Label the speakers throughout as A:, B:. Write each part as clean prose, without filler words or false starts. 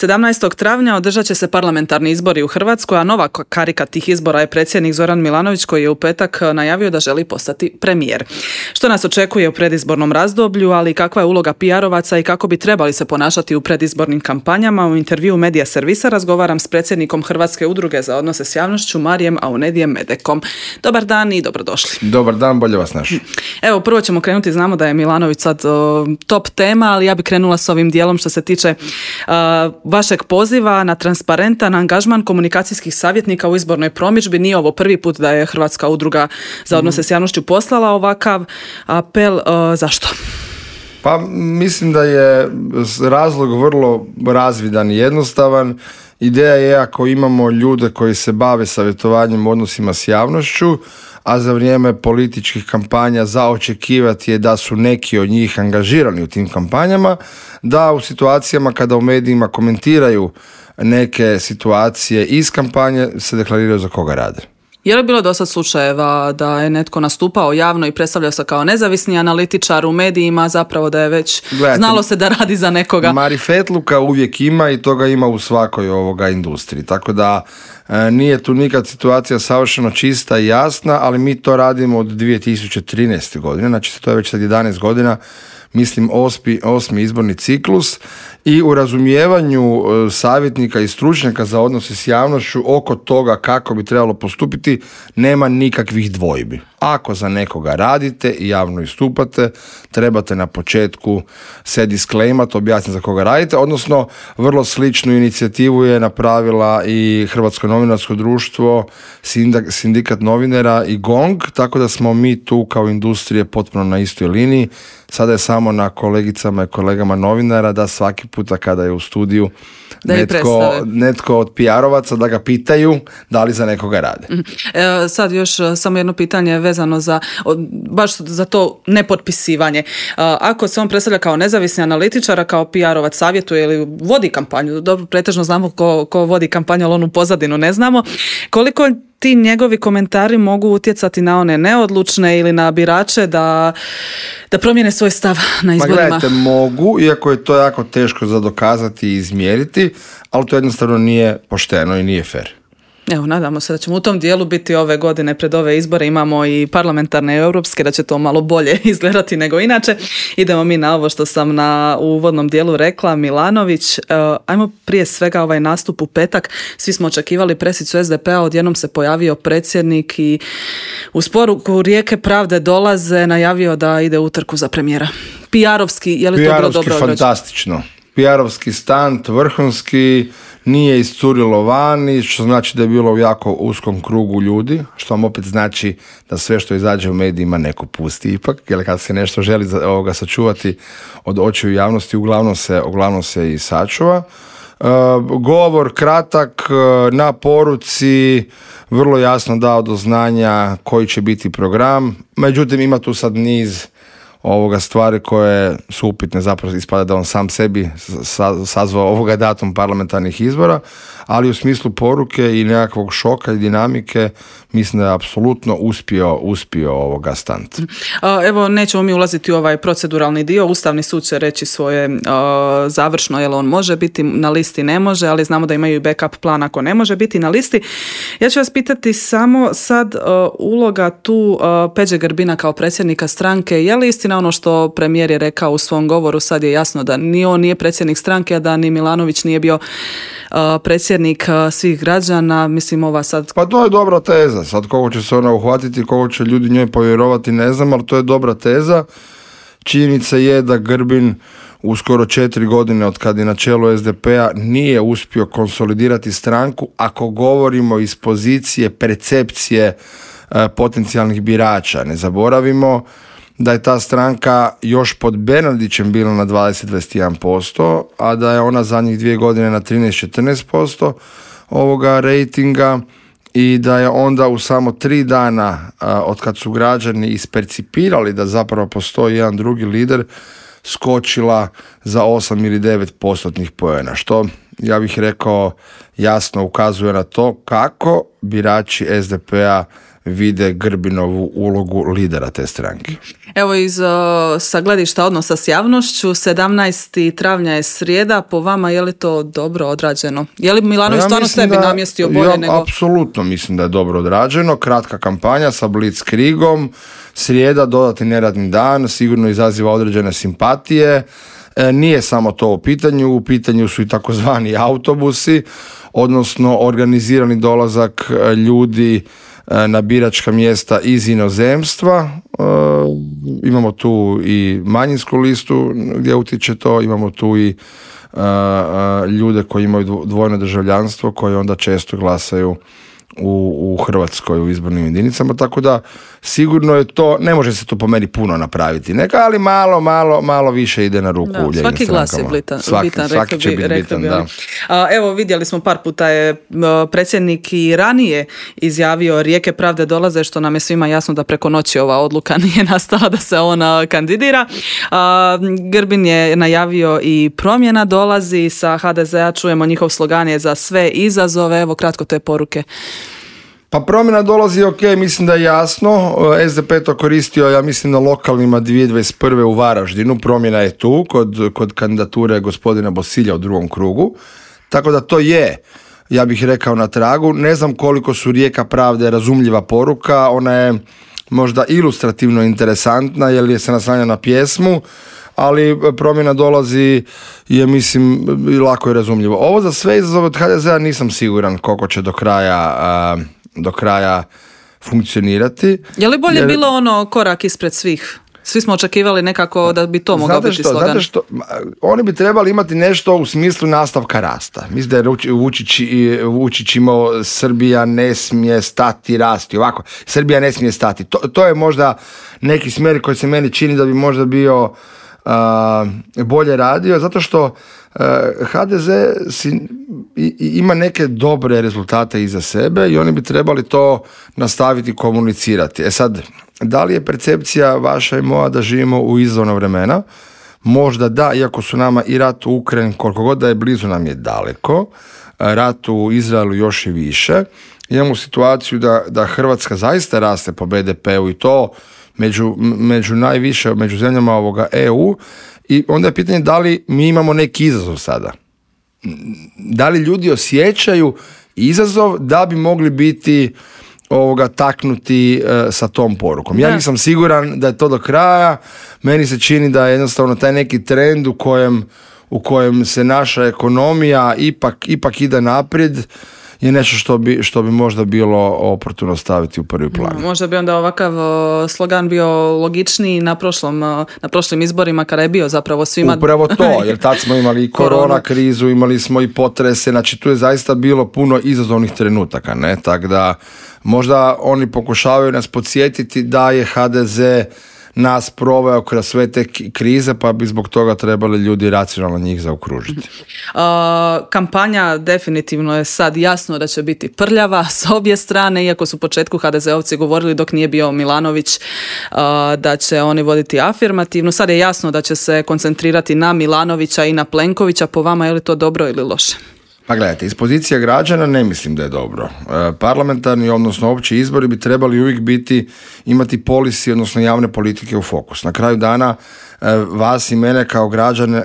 A: 17. travnja održat će se parlamentarni izbori u Hrvatskoj, a nova karika tih izbora je predsjednik Zoran Milanović koji je u petak najavio da želi postati premijer. Što nas očekuje u predizbornom razdoblju, ali kakva je uloga PR-ovaca i kako bi trebali se ponašati u predizbornim kampanjama, u intervjuu Medija servisa razgovaram s predsjednikom Hrvatske udruge za odnose s javnošću Marijem Aunedijem Medekom. Dobar dan i dobrodošli.
B: Dobar dan, bolje vas našli.
A: Evo, prvo ćemo krenuti, znamo da je Milanović sad top tema, ali ja bih krenula s ovim dijelom što se tiče vašeg poziva na transparentan angažman komunikacijskih savjetnika u izbornoj promidžbi. Nije ovo prvi put da je Hrvatska udruga za odnose s javnošću poslala ovakav apel. Zašto?
B: Pa mislim da je razlog vrlo razvidan i jednostavan. Ideja je ako imamo ljude koji se bave savjetovanjem u odnosima s javnošću, a za vrijeme političkih kampanja za očekivati je da su neki od njih angažirani u tim kampanjama, da u situacijama kada u medijima komentiraju neke situacije iz kampanje se deklariraju za koga rade.
A: Je li bilo dosad slučajeva da je netko nastupao javno i predstavljao se kao nezavisni analitičar u medijima, zapravo da je već znalo se da radi za nekoga?
B: Marifetluka uvijek ima i toga ima u svakoj industriji, tako da nije tu nikad situacija savršeno čista i jasna, ali mi to radimo od 2013. godine, znači to je već sad 11 godina, mislim osmi izborni ciklus, i u razumijevanju savjetnika i stručnjaka za odnose s javnošću oko toga kako bi trebalo postupiti nema nikakvih dvojbi. Ako za nekoga radite i javno istupate, trebate na početku se disclaimat, objasniti za koga radite, odnosno vrlo sličnu inicijativu je napravila i Hrvatsko novinarsko društvo, sindikat novinara i GONG, tako da smo mi tu kao industrije potpuno na istoj liniji. Sada je samo na kolegicama i kolegama novinara da svaki puta kada je u studiju netko od PR-ovaca da ga pitaju da li za nekoga rade.
A: Sad još samo jedno pitanje vezano baš za to nepotpisivanje. Ako se on predstavlja kao nezavisni analitičar, kao PR-ovac savjetuje ili vodi kampanju, dobro, pretežno znamo ko vodi kampanju, ali onu pozadinu ne znamo, koliko ti njegovi komentari mogu utjecati na one neodlučne ili na birače da promijene svoj stav na izborima?
B: Gledajte, mogu, iako je to jako teško za dokazati i izmjeriti, ali to jednostavno nije pošteno i nije fair.
A: Evo, nadamo se da ćemo u tom dijelu biti ove godine pred ove izbore, imamo i parlamentarne i europske, da će to malo bolje izgledati nego inače. Idemo mi na ovo što sam u uvodnom dijelu rekla, Milanović. Ajmo prije svega ovaj nastup u petak. Svi smo očekivali presicu SDP-a, odjednom se pojavio predsjednik i uz poruku Rijeke pravde dolaze, najavio da ide u utrku za premijera. PR-ovski, je li to bilo dobro?
B: PR-ovski fantastično. PR-ovski stunt, vrhunski, nije iscurilo vani, što znači da je bilo u jako uskom krugu ljudi, što vam opet znači da sve što izađe u medijima neko pusti ipak, jer kad se nešto želi sačuvati od očiju javnosti, uglavnom se i sačuva. Govor kratak, na poruci, vrlo jasno dao do znanja koji će biti program, međutim ima tu sad niz stvari koje su upitne, zapravo ispada da on sam sebi sazvao datum parlamentarnih izbora, ali u smislu poruke i nekakvog šoka i dinamike mislim da je apsolutno uspio stunt.
A: Evo, nećemo mi ulaziti u ovaj proceduralni dio, Ustavni sud će reći svoje završno, jel on može biti na listi, ne može, ali znamo da imaju i backup plan ako ne može biti na listi. Ja ću vas pitati samo sad uloga tu Peđe Grbina kao predsjednika stranke, je li istina ono što premijer je rekao u svom govoru, sad je jasno da ni on nije predsjednik stranke, a da ni Milanović nije bio predsjednik svih građana, mislim ova sad...
B: Pa to je dobra teza, sad koliko će se ona uhvatiti, koliko će ljudi njoj povjerovati, ne znam, ali to je dobra teza. Činjenica je da Grbin u skoro 4 godine od kad je na čelu SDP-a nije uspio konsolidirati stranku, ako govorimo iz pozicije percepcije potencijalnih birača. Ne da je ta stranka još pod Bernardićem bila na 20-21%, a da je ona zadnjih 2 godine na 13-14% rejtinga i da je onda u samo 3 dana od kad su građani ispercipirali da zapravo postoji jedan drugi lider, skočila za 8 ili 9% poena, što ja bih rekao jasno ukazuje na to kako birači SDP-a vide Grbinovu ulogu lidera te stranke.
A: Evo sa gledišta odnosa s javnošću, 17. travnja je srijeda, po vama je li to dobro odrađeno? Je li Milanović stvarno sebi namjestio bolje nego...
B: Apsolutno mislim da je dobro odrađeno, kratka kampanja sa blitzkriegom, srijeda, dodatni neradni dan, sigurno izaziva određene simpatije. Nije samo to u pitanju su i takozvani autobusi, odnosno organizirani dolazak ljudi na biračka mjesta iz inozemstva. Imamo tu i manjinsku listu gdje utječe to, imamo tu i ljude koji imaju dvojno državljanstvo koji onda često glasaju u Hrvatskoj u izbornim jedinicama, tako da sigurno je to, ne može se to po meni puno napraviti, ali malo više ide na ruku lijevim strankama.
A: Svaki glas je bitan,
B: svaki će biti bitan, da.
A: Evo vidjeli smo par puta je predsjednik i ranije izjavio rijeke pravde dolaze, što nam je svima jasno da preko noći ova odluka nije nastala da se ona kandidira. Grbin je najavio i promjena dolazi sa HDZ-a, čujemo njihov slogan je za sve izazove, evo kratko te poruke.
B: Pa promjena dolazi, ok, mislim da je jasno, SDP to koristio, ja mislim na lokalnima 2021. u Varaždinu, promjena je tu kod kandidature gospodina Bosilja u drugom krugu, tako da to je, ja bih rekao, na tragu. Ne znam koliko su rijeka pravde razumljiva poruka, ona je možda ilustrativno interesantna jer je se naslanja na pjesmu, ali promjena dolazi je, mislim, lako je razumljivo. Ovo za sve izazove od HDZ-a nisam siguran koliko će do kraja funkcionirati.
A: Je li bolje bilo ono korak ispred svih? Svi smo očekivali nekako da bi to mogao biti slogan.
B: Znate što, oni bi trebali imati nešto u smislu nastavka rasta. Mislim da je Vučić imao Srbija ne smije stati rasti. Ovako, Srbija ne smije stati. To je možda neki smjer koji se meni čini da bi možda bio bolje radio, zato što HDZ ima neke dobre rezultate iza sebe i oni bi trebali to nastaviti komunicirati. Sad, da li je percepcija vaša i moja da živimo u izazovna vremena? Možda da, iako su nama i rat u Ukrajini, koliko god da je blizu, nam je daleko, rat u Izraelu još i više. Imamo situaciju da Hrvatska zaista raste po BDP-u i to među najviše, među zemljama ovoga EU, i onda je pitanje da li mi imamo neki izazov sada. Da li ljudi osjećaju izazov da bi mogli biti taknuti sa tom porukom. Ja nisam siguran da je to do kraja, meni se čini da je jednostavno taj neki trend u kojem se naša ekonomija ipak ide naprijed je nešto što bi možda bilo oportuno staviti u prvi plan.
A: Možda bi onda ovakav slogan bio logičniji na prošlim izborima kada je bio zapravo svima...
B: Upravo to, jer tad smo imali i korona krizu, imali smo i potrese, znači tu je zaista bilo puno izazovnih trenutaka, ne? Tako da možda oni pokušavaju nas podsjetiti da je HDZ nas proveo kroz sve te krize, pa bi zbog toga trebali ljudi racionalno njih zaokružiti.
A: Kampanja definitivno je sad jasno da će biti prljava s obje strane, iako su u početku HDZ-ovci govorili dok nije bio Milanović da će oni voditi afirmativno. Sad je jasno da će se koncentrirati na Milanovića i na Plenkovića. Po vama je li to dobro ili loše?
B: Pa gledajte, iz pozicija građana ne mislim da je dobro. Parlamentarni, odnosno opći izbori bi trebali uvijek imati policy, odnosno javne politike u fokus. Na kraju dana vas i mene kao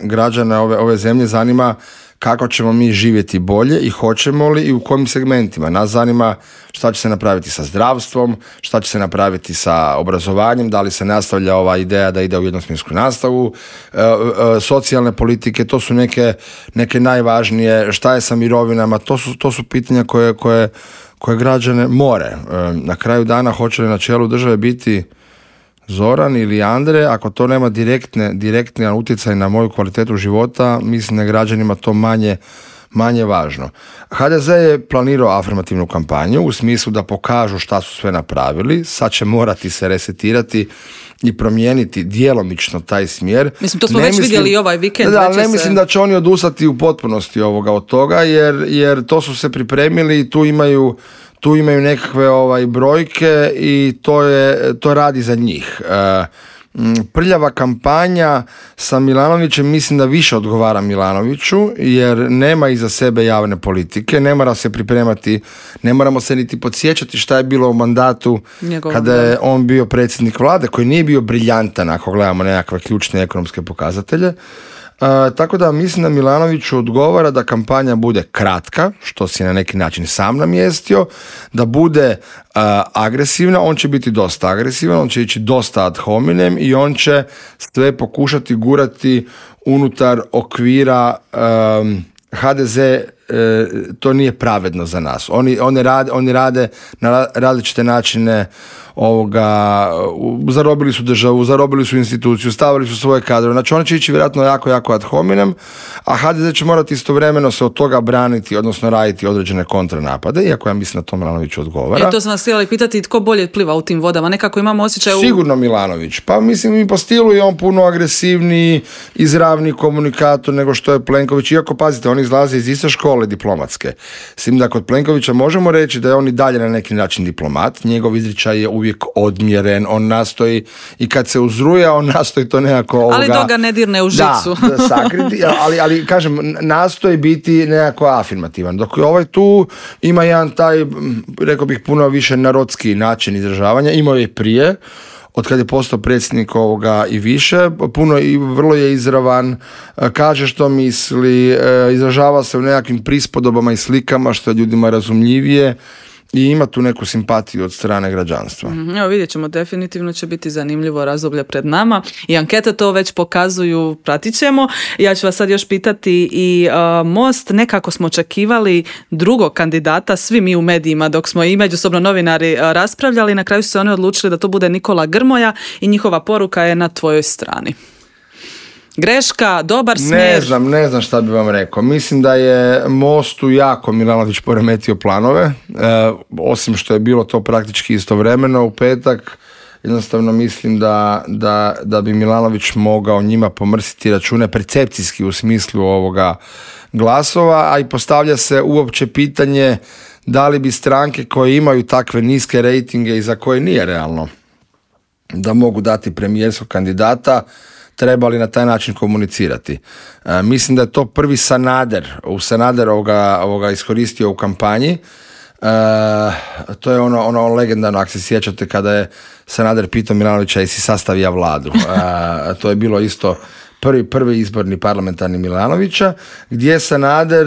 B: građane ove zemlje zanima kako ćemo mi živjeti bolje i hoćemo li i u kojim segmentima. Nas zanima šta će se napraviti sa zdravstvom, šta će se napraviti sa obrazovanjem, da li se nastavlja ova ideja da ide u jednosmjensku nastavu, socijalne politike, to su neke najvažnije, šta je sa mirovinama, to su pitanja koje građane more. Na kraju dana hoće li na čelu države biti Zoran ili Andre, ako to nema direktni utjecaj na moju kvalitetu života, mislim da je građanima to manje važno. HDZ je planirao afirmativnu kampanju u smislu da pokažu šta su sve napravili, sad će morati se resetirati i promijeniti djelomično taj smjer.
A: Mislim, to smo vidjeli i ovaj vikend.
B: Mislim da će oni odustati u potpunosti od toga, jer to su se pripremili i tu imaju nekakve brojke i to radi za njih. prljava kampanja sa Milanovićem mislim da više odgovara Milanoviću, jer nema iza sebe javne politike, ne mora se pripremati, ne moramo se niti podsjećati šta je bilo u mandatu kada je on bio predsjednik vlade, koji nije bio briljantan ako gledamo nekakve ključne ekonomske pokazatelje. Tako da mislim da Milanoviću odgovara da kampanja bude kratka, što si na neki način sam namjestio, da bude agresivna, on će biti dosta agresivan, on će ići dosta ad hominem i on će sve pokušati gurati unutar okvira HDZ, to nije pravedno za nas. Oni rade na različite načine, zarobili su državu, zarobili su instituciju, stavili su svoje kadrove. Znači oni će ići vjerojatno jako ad hominem, a HDZ će morati istovremeno se od toga braniti, odnosno raditi određene kontranapade, iako ja mislim da to Milanović odgovara.
A: To sam vas htjela pitati, tko bolje pliva u tim vodama? Nekako imamo osjećaj...
B: Sigurno Milanović. Pa mislim i po stilu je on puno agresivniji, izravniji komunikator nego što je Plenković. Iako, pazite, on izlazi iz iste škole diplomatske. S tim da kod Plenkovića možemo reći da je on i dalje na neki način diplomat. Njegov izričaj je uvijek odmjeren, on nastoji i kad se uzruja, on nastoji to nekako...
A: Ali dok ga ne dirne u žicu.
B: Da, sakriti, ali kažem, nastoji biti nekako afirmativan. Dok ovaj tu ima jedan taj, rekao bih, puno više narodski način izražavanja, imao je i prije, od kad je postao predsjednik i više, puno i vrlo je izravan, kaže što misli, izražava se u nekakvim prispodobama i slikama što je ljudima razumljivije i ima tu neku simpatiju od strane građanstva.
A: Evo vidjet ćemo, definitivno će biti zanimljivo razdoblje pred nama i ankete to već pokazuju, pratit ćemo. Ja ću vas sad još pitati i Most, nekako smo očekivali drugog kandidata, svi mi u medijima dok smo i međusobno novinari raspravljali, na kraju su se oni odlučili da to bude Nikola Grmoja i njihova poruka je na tvojoj strani. Greška, dobar smjer?
B: Ne znam šta bi vam rekao. Mislim da je Mostu jako Milanović poremetio planove, osim što je bilo to praktički istovremeno u petak. Jednostavno mislim da bi Milanović mogao njima pomrsiti račune percepcijski u smislu ovoga glasova, a i postavlja se uopće pitanje da li bi stranke koje imaju takve niske rejtinge i za koje nije realno da mogu dati premijerskog kandidata, trebali na taj način komunicirati. Mislim da je to prvi Sanader ovoga iskoristio u kampanji. To je ono legendarno, ako se sjećate, kada je Sanader pitao Milanovića jesi sastavija vladu. To je bilo isto prvi izborni parlamentarni Milanovića, gdje je Sanader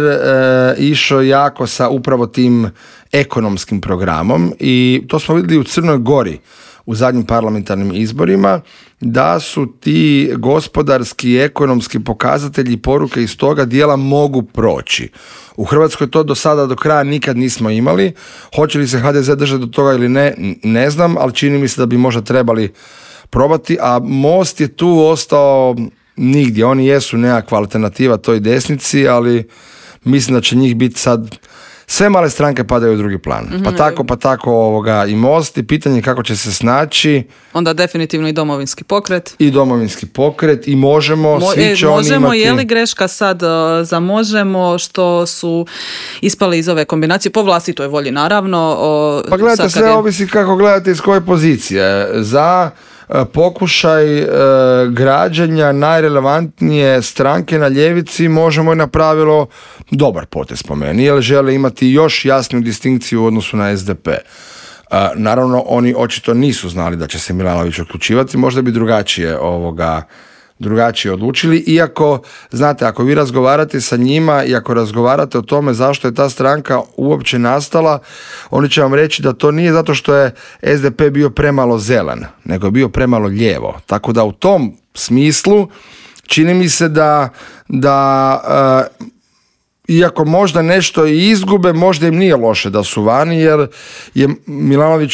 B: išao jako sa upravo tim ekonomskim programom i to smo vidjeli u Crnoj Gori u zadnjim parlamentarnim izborima, da su ti gospodarski i ekonomski pokazatelji i poruke iz toga dijela mogu proći. U Hrvatskoj to do sada do kraja nikad nismo imali. Hoće li se HDZ držati do toga ili ne znam, ali čini mi se da bi možda trebali probati, a Most je tu ostao nigdje. Oni jesu nekakva alternativa toj desnici, ali mislim da će njih biti sad... Sve male stranke padaju u drugi plan. Pa tako i Most i pitanje kako će se snaći.
A: Onda definitivno i Domovinski pokret.
B: I Možemo. Svi će oni imati...
A: Je li greška sad za Možemo što su ispali iz ove kombinacije po vlastitoj volji naravno?
B: Pa gledajte, sve ovisi kako gledate iz koje pozicije. Za pokušaj građanja najrelevantnije stranke na ljevici Možemo je napravilo dobar potez po meni, jer žele imati još jasniju distinkciju u odnosu na SDP. Naravno, oni očito nisu znali da će se Milanović uključivati, možda bi drugačije odlučili, iako, znate, ako vi razgovarate sa njima i ako razgovarate o tome zašto je ta stranka uopće nastala, oni će vam reći da to nije zato što je SDP bio premalo zelan, nego je bio premalo lijevo. Tako da u tom smislu čini mi se da iako možda nešto i izgube, možda im nije loše da su vani, jer je Milanović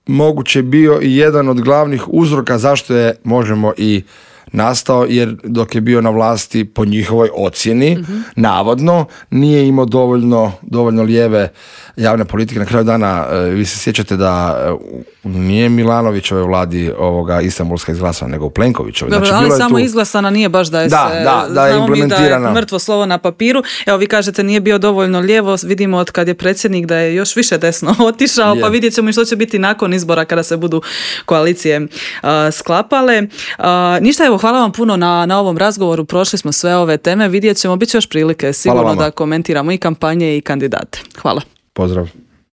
B: moguće bio i jedan od glavnih uzroka zašto je Možemo i nastao, jer dok je bio na vlasti po njihovoj ocjeni, navodno, nije imao dovoljno lijeve javne politike. Na kraju dana, vi se sjećate da Nije Milanovićove vladi Istanbulska izglasana, nego Plenkovićove.
A: Dobro,
B: znači,
A: ali samo izglasana nije baš da je
B: da je implementirana.
A: Da je mrtvo slovo na papiru. Evo, vi kažete nije bio dovoljno lijevo, vidimo od kad je predsjednik da je još više desno otišao, pa vidjet ćemo i što će biti nakon izbora kada se budu koalicije sklapale. Ništa, evo, hvala vam puno na ovom razgovoru, prošli smo sve ove teme, vidjet ćemo, bit će još prilike sigurno da komentiramo i kampanje i kandidate. Hvala.
B: Pozdrav.